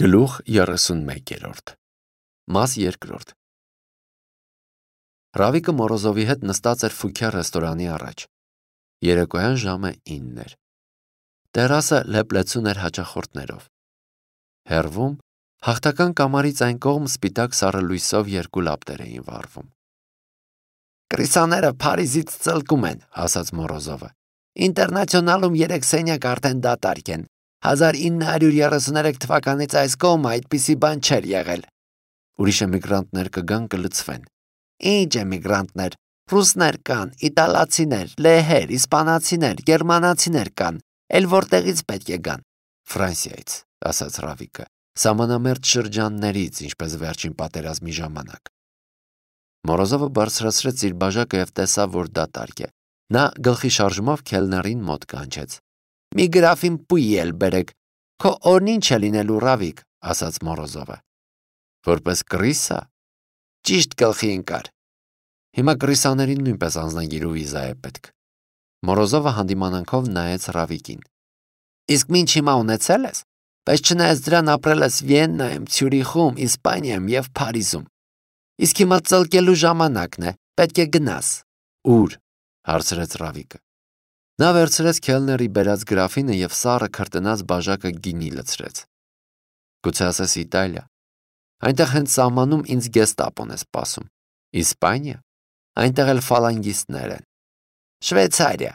Գլուխ 31 Մաս 2 Ռավիկը Մորոզովի հետ նստած էր Ֆուքյա ռեստորանի առաջ։ Երեկոյան ժամը 9 էր։ Տերասը լեփլեցուն էր հաճախորդներով։ Հեռվում հաղթական կամարից այն կողմ սպիտակ սառը լույսով երկու լապտեր էին վառվում։ «Կրիսաները Փարիզից ծլկում են», ասաց Մորոզովը։ «Ինտերնացիոնալում 3 սենյակ արդեն դատարկ են։ 1933 թվականից այս կողմը այդպիսի բան չէր եղել։ Ուրիշ էմիգրանտներ կգան կլցվեն։ Ինչ էմիգրանտներ, ռուսներ կան, իտալացիներ, լեհեր, իսպանացիներ, գերմանացիներ կան, էլ որտեղից պետք է գան։ Ֆրանսիայից, ասաց Ռավիկը, սահմանամերձ շրջաններից, ինչպես վերջին պատերազմի ժամանակ։ Մորոզովը բարձրացրեց իր բաժակը և տեսավ, որ դատարկ է։ Նա գլխի շարժումով քելներին մոտ կանչեց։ «Մի գրաֆին պույ էլ բերեք, քո օրն ինչ է լինելու, Ռավիկ», ասաց Մորոզովը։ «Որպես կրիսա»։ Ճիշտ գլխի ընկար։ Հիմա կրիսաներին նույնպես անձնագիր ու վիզա է պետք։ Մորոզովը հանդիմանանքով նայեց Ռավիկին։ «Իսկ մինչ հիմա ունեցել ես, բայց չնայած դրան ապրել ես Վիեննայում, Ցյուրիխում, Իսպանիայում և Փարիզում։ Իսկ հիմա ծլկելու ժամանակն է, պետք է գնաս»։ «Ուր»։ հարցրեց Ռավիկը։ Նա վերցրեց քելների բերած գրաֆինը և սառը քրտնած բաժակը գինի լցրեց։ «Գուցե ասես Իտալիա։ Այնտեղ հենց սահմանում ինձ գեստապոն է սպասում։ Իսպանիա։ Այնտեղ էլ ֆալանգիստներ են։ Շվեյցարիա։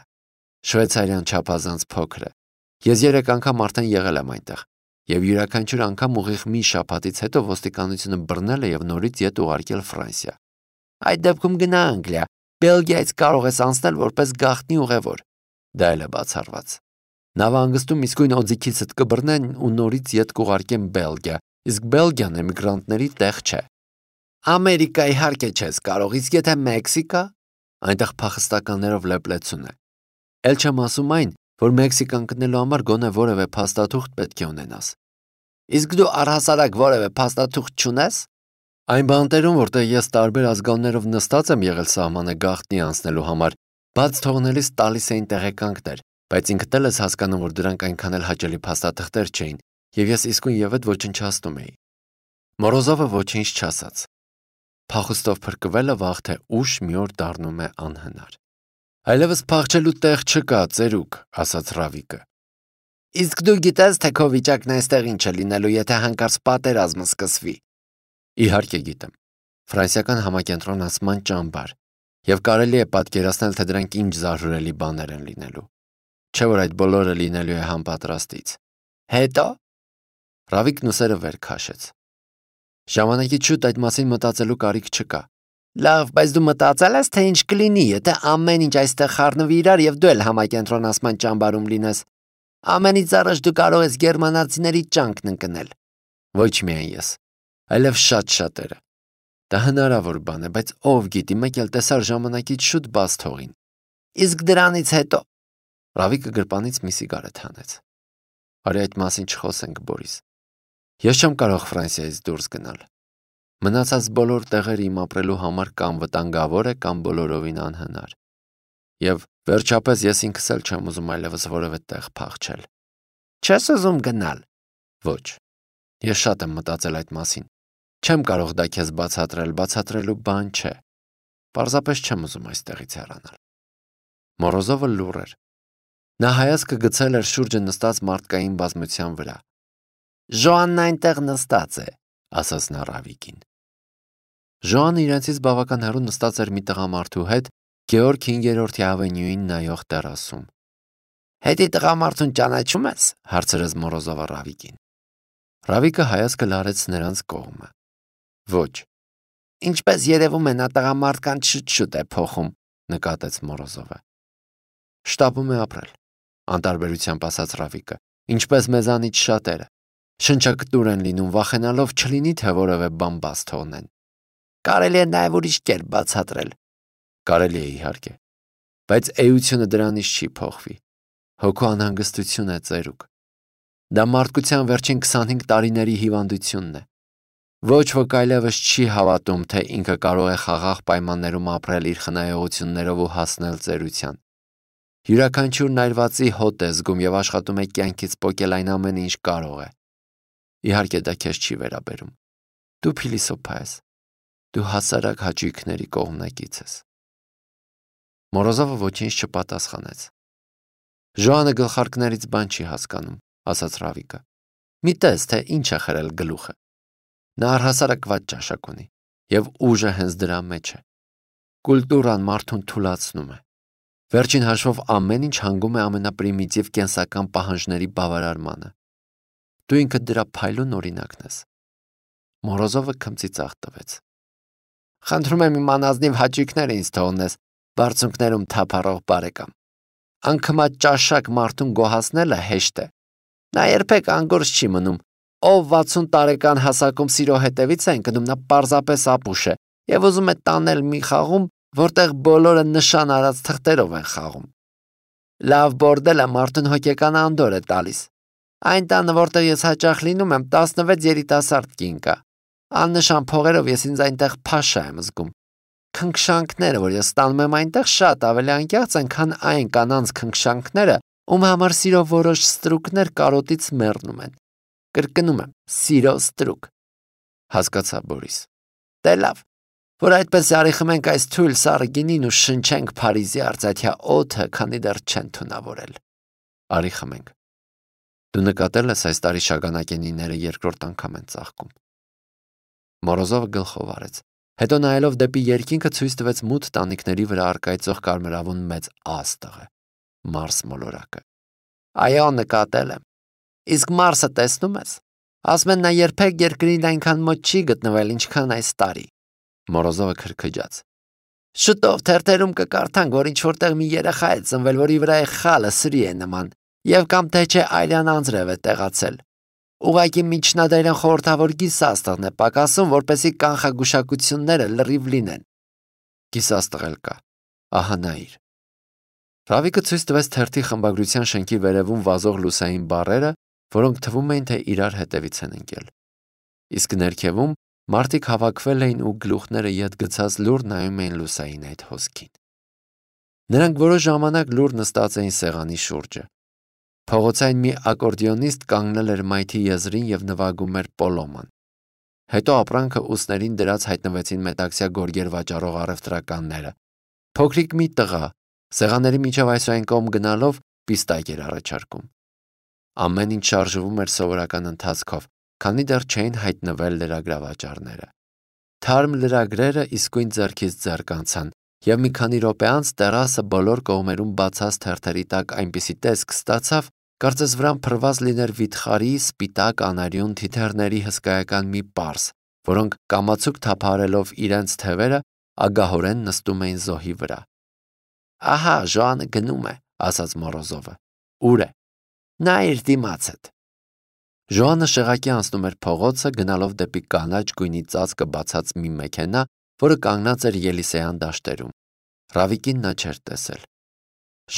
Շվեյցարիան չափազանց փոքր է։ Ես 3 անգամ արդեն եղել եմ այնտեղ, և յուրաքանչյուր անգամ ուղիղ մի շաբաթից հետո ոստիկանությունը բռնել է և նորից ետ ուղարկել Ֆրանսիա։ Այդ դեպքում գնա Անգլիա, Բելգիայից կարող ես անցնել որպես գաղտնի ուղևոր։ Դա էլ է բացառված։ Նավահանգստում իսկույն օձիքիցդ կբռնեն ու նորից ետ կուղարկեն Բելգիա, իսկ Բելգիան էմիգրանտների տեղ չէ։ Ամերիկա իհարկե չես կարող, իսկ եթե Մեքսիկա, այնտեղ փախստականներով լեփլեցուն է։ Էլ չեմ ասում այն, որ Մեքսիկան գտնելու համար գոնե որևէ փաստաթուղթ պետք է ունենաս։ Իսկ դու առհասարակ որևէ փաստաթուղթ չունես։ Այն բանտերում, որտեղ ես տարբեր ազգաններով նստած եմ եղել սահմանը գաղտնի անցնելու համար, բաց թողնելիս տալիս էին տեղեկանքներ, բայց ինքդ էլ ես հասկանում, որ դրանք այնքան էլ հաճելի փաստաթղթեր չէին, և ես իսկույն ևեթ ոչնչացնում էի։ Մորոզովը ոչինչ չասաց։ Փախուստով փրկվելը վաղ թե ուշ մի օր դառնում է անհնար։ Այլևս փախչելու տեղ չկա, ծերուկ, ասաց Ռավիկը։ Իսկ դու գիտես, թե քո վիճակն այստեղ ինչ է լինելու, եթե հանկարծ պատերազմը սկսվի։ Իհարկե գիտեմ։ Ֆրանսիական համակենտրոնացման ճամբար, և կարելի է պատկերացնել, թե դրանք ինչ զարհուրելի բաներ են լինելու։ Չէ՞ որ այդ բոլորը լինելու է համապատրաստից։ Հետո։ Ռավիկն ուսերը վեր քաշեց։ Ժամանակից շուտ այդ մասին մտածելու կարիք չկա։ Լավ, բայց դու մտածել ես, թե ինչ կլինի, եթե ամեն ինչ այստեղ խառնվի իրար և դու էլ համակենտրոնացման ճամբարում լինես։ Ամենից առաջ դու կարող ես գերմանացիների ճանկն ընկնել։ Ոչ միայն ես, այլև շատ շատերը։ Դա հնարավոր բան է, բայց ով գիտի, մեկ էլ տեսար ժամանակից շուտ բաց թողին։ Իսկ դրանից հետո։ Ռավիկը գրպանից մի սիգարետ հանեց։ Արի այդ մասին չխոսենք, Բորիս։ Ես չեմ կարող Ֆրանսիայից դուրս գնալ։ Մնացած բոլոր տեղերը իմ ապրելու համար կամ վտանգավոր է, կամ բոլորովին անհնար։ Եվ վերջապես ես ինքս էլ չեմ ուզում այլևս որևէ տեղ փախչել։ Չես ուզում գնալ։ Ոչ։ Ես շատ եմ մտածել այդ մասին։ Չեմ կարող դա քեզ բացատրել, բացատրելու բան չէ։ Պարզապես չեմ ուզում այստեղից հեռանալ։ Մորոզովը լուռ էր։ Նա հայացքը գցել էր շուրջը նստած մարդկային բազմության վրա։ Ժոանն այնտեղ նստած է, ասաց նա Ռավիկին։ Ժոանը իրենցից բավական հեռու նստած էր մի տղամարդու հետ Գեորգ 5-րդ ավենյուին նայող տերասում։ Հետի տղամարդուն ճանաչում ես, հարցրեց Մորոզովը Ռավիկին։ Ռավիկը հայացքը լարեց նրանց կողմը։ Ոչ։ Ինչպես երևում է, նա տղամարդկանց շուտ է փոխում, նկատեց Մորոզովը։ Շտապում է ապրել, անտարբերությամբ ասաց Ռավիկը, ինչպես մեզանից շատերը։ Շնչակտուր են լինում, վախենալով չլինի, թե որևէ բան բաց թողնեն։ Կարելի է նաև ուրիշ կերպ բացատրել։ Կարելի է իհարկե, բայց էությունը դրանից չի փոխվի։ Հոգու անհանգստություն է, ծերուկ։ Դա մարդկության վերջին 25 տարիների հիվանդությունն է։ Ոչ ոք այլևս չի հավատում, թե ինքը կարող է խաղաղ պայմաններում ապրել իր խնայողություններով ու հասնել ծերության։ Յուրաքանչյուրն այրվածի հոտ է զգում և աշխատում է կյանքից պոկել այն ամենը, ինչ կարող է։ Իհարկե դա քեզ չի վերաբերում։ Դու փիլիսոփա ես։ Դու հասարակ հաճույքների կողմնակից ես։ Մորոզովը ոչինչ չպատասխանեց։ Ժոանը գլխարկներից բան չի հասկանում, ասաց Ռավիկը։ Մի տես, թե ինչ է խրել գլուխը։ Նա առհասարակված ճաշակ ունի, եւ ուժը հենց դրա մեջ է։ Կուլտուրան մարդուն թուլացնում է։ Վերջին հաշվով ամեն ինչ հանգում է ամենապրիմիտիվ կենսական պահանջների բավարարմանը։ Դու ինքդ դրա փայլուն օրինակն ես։ Մորոզովը քմծիծաղ տվեց։ Խնդրում եմ իմ անազնիվ հաճույքները ինձ թողնես, բարձունքներում թափառող բարեկամ։ Անկմա ճաշակ մարդուն գոհացնելը հեշտ է։ Նա երբեք անգործ չի մնում։ Ով 60 տարեկան հասակում սիրո հետևից է ընկնում, նա պարզապես ապուշ է եւ ուզում է տանել մի խաղում, որտեղ բոլորը նշան արած թղթերով են խաղում։ Լավ բորդելը մարդուն հոգեկան անդոր է տալիս։ Այն տանը, որտեղ ես հաճախ լինում եմ, 16 երիտասարդ կին կա։ Աննշան փողերով ես ինձ այնտեղ փաշա եմ զգում։ Քնքշանքները, որ ես ստանում եմ այնտեղ, շատ ավելի անկեղծ են, քան այն կանանց քնքշանքները, ում համար սիրո որոշ ստրուկներ կարոտից մեռնում են։ Կրկնում եմ, սիրո ստրուկ։ Հասկացա, Բորիս։ Դե լավ, որ այդպես արի խմենք այս թույլ սառը գինին ու շնչենք Փարիզի արծաթյա օդը, քանի դեռ չեն թունավորել։ Արի խմենք։ Դու նկատել ես այս տարի շագանակենիները երկրորդ անգամ են ծաղկում։ Մորոզովը գլխով արեց։ Հետո նայելով դեպի երկինքը ցույց տվեց մութ տանիքների վրա առկայծող կարմրավուն մեծ աստղը, Մարս մոլորակը։ Այո, նկատել եմ։ Իսկ Մարսը տեսնում ես։ Ասում են նա երբեք երկրին այնքան մոտ չի գտնվել, ինչքան այս տարի։ Մորոզովը քրքջաց։ Շուտով թերթերում կկարդանք, որ ինչ որտեղ մի երեխա է ծնվել, որի վրա է խալը սրի է նման, եւ կամ թե չէ այլյան անձրև է տեղացել։ Ուղղակի միջնադարյան խորհրդավոր գիսաստղն է պակասում, որպեսզի կանխագուշակությունները լրիվ լինեն։ Գիսաստղ էլ կա։ Ահա նայիր։ Ռավիկը ցույց տվեց թերթի խմբագրության շենքի վերևում վազող լուսային բառերը, որոնք թվում էին, թե իրար հետևից են ընկել։ Իսկ ներքևում մարդիկ հավաքվել էին ու գլուխները ետ գցած լուր նայում էին լուսային այդ հոսքին։ Նրանք որոշ ժամանակ լուր նստած էին սեղանի շուրջը։ Փողոցային մի ակորդեոնիստ կանգնել էր մայթի եզրին եւ նվագում էր պոլոման։ Հետո ապրանքը ուսներին դրած հայտնվեցին մետաքսյա գորգեր վաճառող առևտրականները։ Փոքրիկ մի տղա սեղանների միջով այսօր կողմ գնալով պիստակ էր առաջարկում։ Ամեն ինչ շարժվում էր սովորական ընթացքով, քանի դեռ չէին հայտնվել լրագրավաճառները։ Թարմ լրագրերը իսկույն ձեռքից ձեռք անցան, եւ մի քանի րոպե անց տերասը բոլոր կողմերում բացած թերթերի տակ այնպիսի տեսք ստացավ, կարծես վրան փռված լիներ վիթխարի, սպիտակ, անարյուն թիթեռների հսկայական մի պարզ, որոնք կամացուկ թափարելով իրենց թևերը ագահորեն նստում էին զոհի վրա։ Ահա, Ժոանը գնում է, ասաց Մորոզովը։ Ուր է։ Նա իր դիմացդ։ Ժոանը շեղակի անցնում էր փողոցը, գնալով դեպի կանաչ գույնի ծածկը բացած մի մեքենա, որը կանգնած էր Ելիսեյան դաշտերում։ Ռավիկին նա չէր տեսել։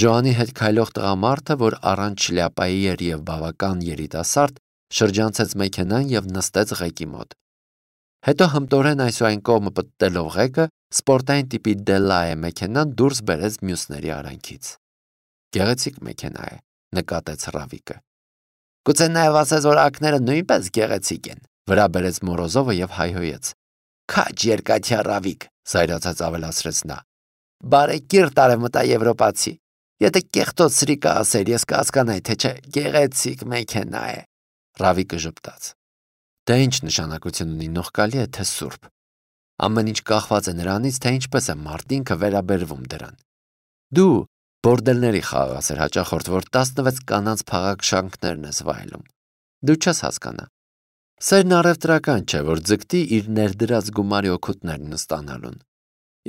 Ժոանի հետ քայլող տղամարդը, որ առանց շլյապայի էր եւ բավական երիտասարդ, շրջանցեց մեքենան եւ նստեց ղեկի մոտ։ Հետո հմտորեն այսօայն կողմը պտտելով ղեկը, սպորտային տիպի Դելայե մեքենան դուրս բերեց մյուսների արանքից։ Գեղեցիկ մեքենա է, նկատեց Ռավիկը։ Գուցե նաև ասես, որ ակները նույնպես գեղեցիկ են, վրա բերեց Մորոզովը եւ հայհոյեց։ Քաջ երկաթյա Ռավիկ, զայրացած ավելացրեց նա։ Բարեկիրթ արևմտաեվրոպացի։ Եթե կեղտոտ սրիկա ասեր, ես կհասկանայի, թե չէ, գեղեցիկ մեքենա է։ Ռավիկը ժպտաց։ Դա ինչ նշանակություն ունի, նողկալի է թե սուրբ։ Ամեն ինչ կախված է նրանից, թե ինչպես է մարդինքը վերաբերվում դրան։ Դու բորդելների խաղաղասեր հաճախորդ, որ 16 կանանց փաղաքշանքներն ես վայելում։ Դու չես հասկանա։ Սերն առևտրական չէ, որ ձգտի իր ներդրած գումարի օգուտներն ստանալուն։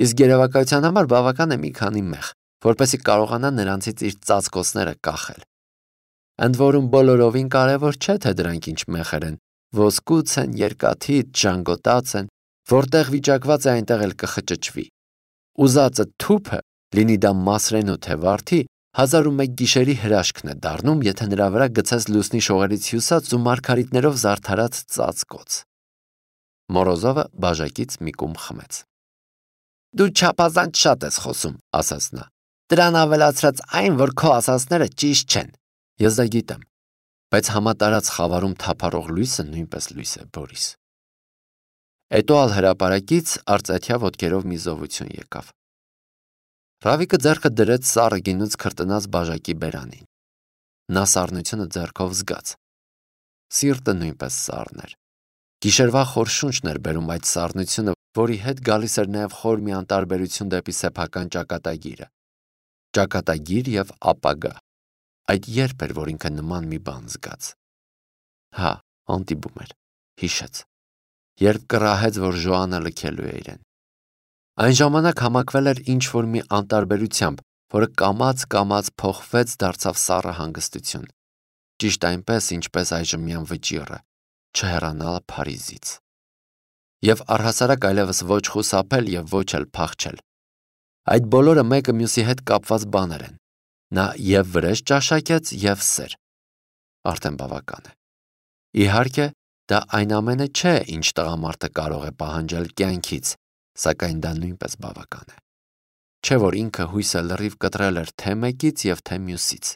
Իսկ երևակայության համար բավական է մի քանի մեղ, որպեսզի կարողանա նրանցից իր ծածկոցները կախել։ Ընդ որում բոլորովին կարևոր չէ, թե դրանք ինչ մեխեր են, ոսկուց են, երկաթից, ժանգոտած են, որտեղ վիճակված է այնտեղ էլ կխճճվի։ Ուզածը թուփը, լինի դա մասրենու թե վարդի, 1001 գիշերի հրաշքն է դառնում, եթե նրա վրա գցես լուսնի շողերից հյուսած ու մարգարիտներով զարդարած ծածկոց։ Մորոզովը բաժակից մի կում խմեց։ Դու չափազանց շատ ես խոսում, ասաց նա։ Դրան ավելացրած այն, որ քո ասածները ճիշտ չեն։ Ես դա գիտեմ։ Բայց համատարած խավարում թափառող լույսը նույնպես լույս է, Բորիս։ Էտուալ հրապարակից արծաթյա ոտքերով մի զովություն եկավ։ Ռավիկը ձեռքը դրեց սառը գինուց քրտնած բաժակի բերանին։ Նա սառնությունը ձեռքով զգաց։ Սիրտը նույնպես սառն էր։ Գիշերվա խոր շունչն էր բերում այդ սառնությունը, որի հետ գալիս էր նաև խոր մի անտարբերություն դեպի սեփական ճակատագիրը։ Ճակատագիր եւ ապագա։ Այդ երբ էր, որ ինքը նման մի բան զգաց։ Հա, անտիբում էր, հիշեց, երբ կռահեց, որ Ժոանը լքելու է իրեն։ Այն ժամանակ համակվել էր ինչ-որ մի անտարբերությամբ, որը կամաց փոխվեց, դարձավ սառը հանգստություն։ Ճիշտ այնպես, ինչպես այժմյան վճիռը, չհեռանալ Փարիզից։ Եվ առհասարակ այլևս ոչ խուսափել եւ ոչ էլ փախչել։ Այդ բոլորը մեկը մյուսի հետ կապված բաներ են։ Նա եւ վրեժ ճաշակեց եւ սեր։ Արդեն բավական է։ Իհարկե, դա այն ամենը չէ, ինչ տղամարդը կարող է պահանջել կյանքից, սակայն դա նույնպես բավական է։ Չէ՞ որ ինքը հույսը լրիվ կտրել էր թե մեկից եւ թե մյուսից։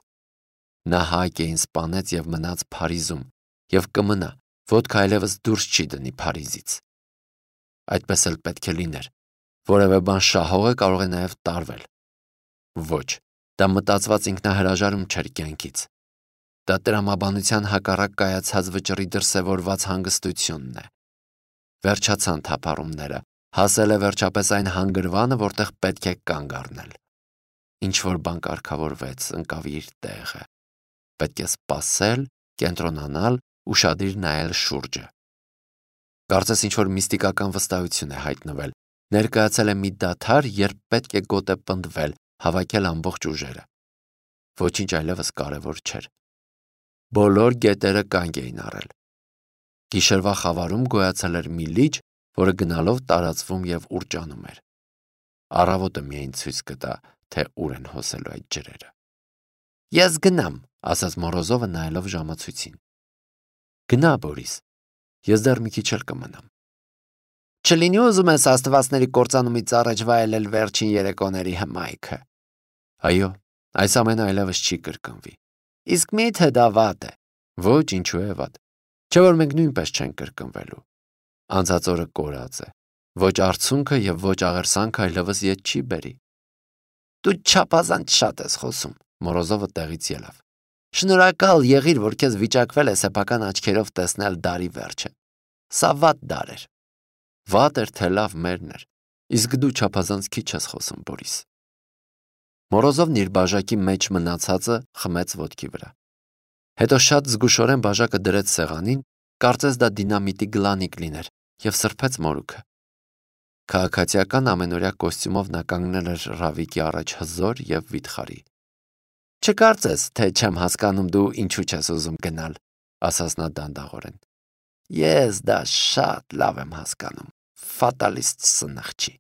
Նա Հակեին սպանեց եւ մնաց Փարիզում եւ կմնա, ոտքը այլևս դուրս չի դնի Փարիզից։ Այդպես էլ պետք է լիներ։ Որևէ բան շահողը կարող է նաեւ տարվել։ Ոչ, դա մտածված ինքնահրաժարում չէր կյանքից։ Դա տրամաբանության հակառակ կայացած վճռի դրսևորված հանգստությունն է։ Վերջացան թափառումները, հասել է վերջապես այն հանգրվանը, որտեղ պետք է կանգ առնել։ Ինչ-որ բան կարգավորվեց, ընկավ իր տեղը։ Պետք է սպասել, կենտրոնանալ, ուշադիր նայել շուրջը։ Կարծես ինչ-որ միստիկական վստահություն է հայտնվել։ Ներկայացել է մի դադար, երբ պետք է գոտե պնդվել, հավաքել ամբողջ ուժերը։ Ոչինչ այլևս կարևոր չէր։ Բոլոր գետերը կանգ էին առել։ Գիշերվա խավարում գոյացել էր մի լիճ, որը գնալով տարածվում եւ ուռճանում էր։ Առավոտը միայն ցույց կտա, թե ուր են հոսելու այդ ջրերը։ Ես գնամ, ասաց Մորոզովը նայելով ժամացույցին։ Գնա, Բորիս, ես դեռ մի քիչ էլ կմնամ։ Չլինի ուզում ես աստվածների կործանումից առաջ վայելել վերջին երեկոների հմայքը։ Այո, այս ամենը այլևս չի կրկնվի։ Իսկ մի՞թե դա վատ է։ Ոչ, ինչու է վատ։ Չէ՞ որ մենք նույնպես չենք կրկնվելու։ Անցած օրը կորած է։ Ոչ արցունքը եւ ոչ աղերսանքը այլևս ետ չի բերի։ Դու չափազանց շատ ես խոսում, Մորոզովը տեղից ելավ։ Շնորհակալ եղիր, որ քեզ վիճակվել է սեփական աչքերով տեսնել դարի վերջը։ Սա վատ դար էր։ Վատ էր, թե լավ մերն էր։ Իսկ դու չափազանց քիչ ես խոսում, Բորիս։ Մորոզովն իր բաժակի մեջ մնացածը խմեց ոտքի վրա։ Հետո շատ զգուշորեն բաժակը դրեց սեղանին, կարծես դա դինամիտի գլանիկ լիներ, եւ սրբեց մորուքը։ Քաղաքացիական ամենօրյա կոստյումով նա կանգնել էր Ռավիկի առաջ հզոր եւ վիթխարի։ Չկարծես, թե չեմ հասկանում դու ինչու չես ուզում գնալ, ասաց նա դանդաղորեն։ Ես դա շատ լավ եմ հասկանում, ֆատալիստ սնխչի։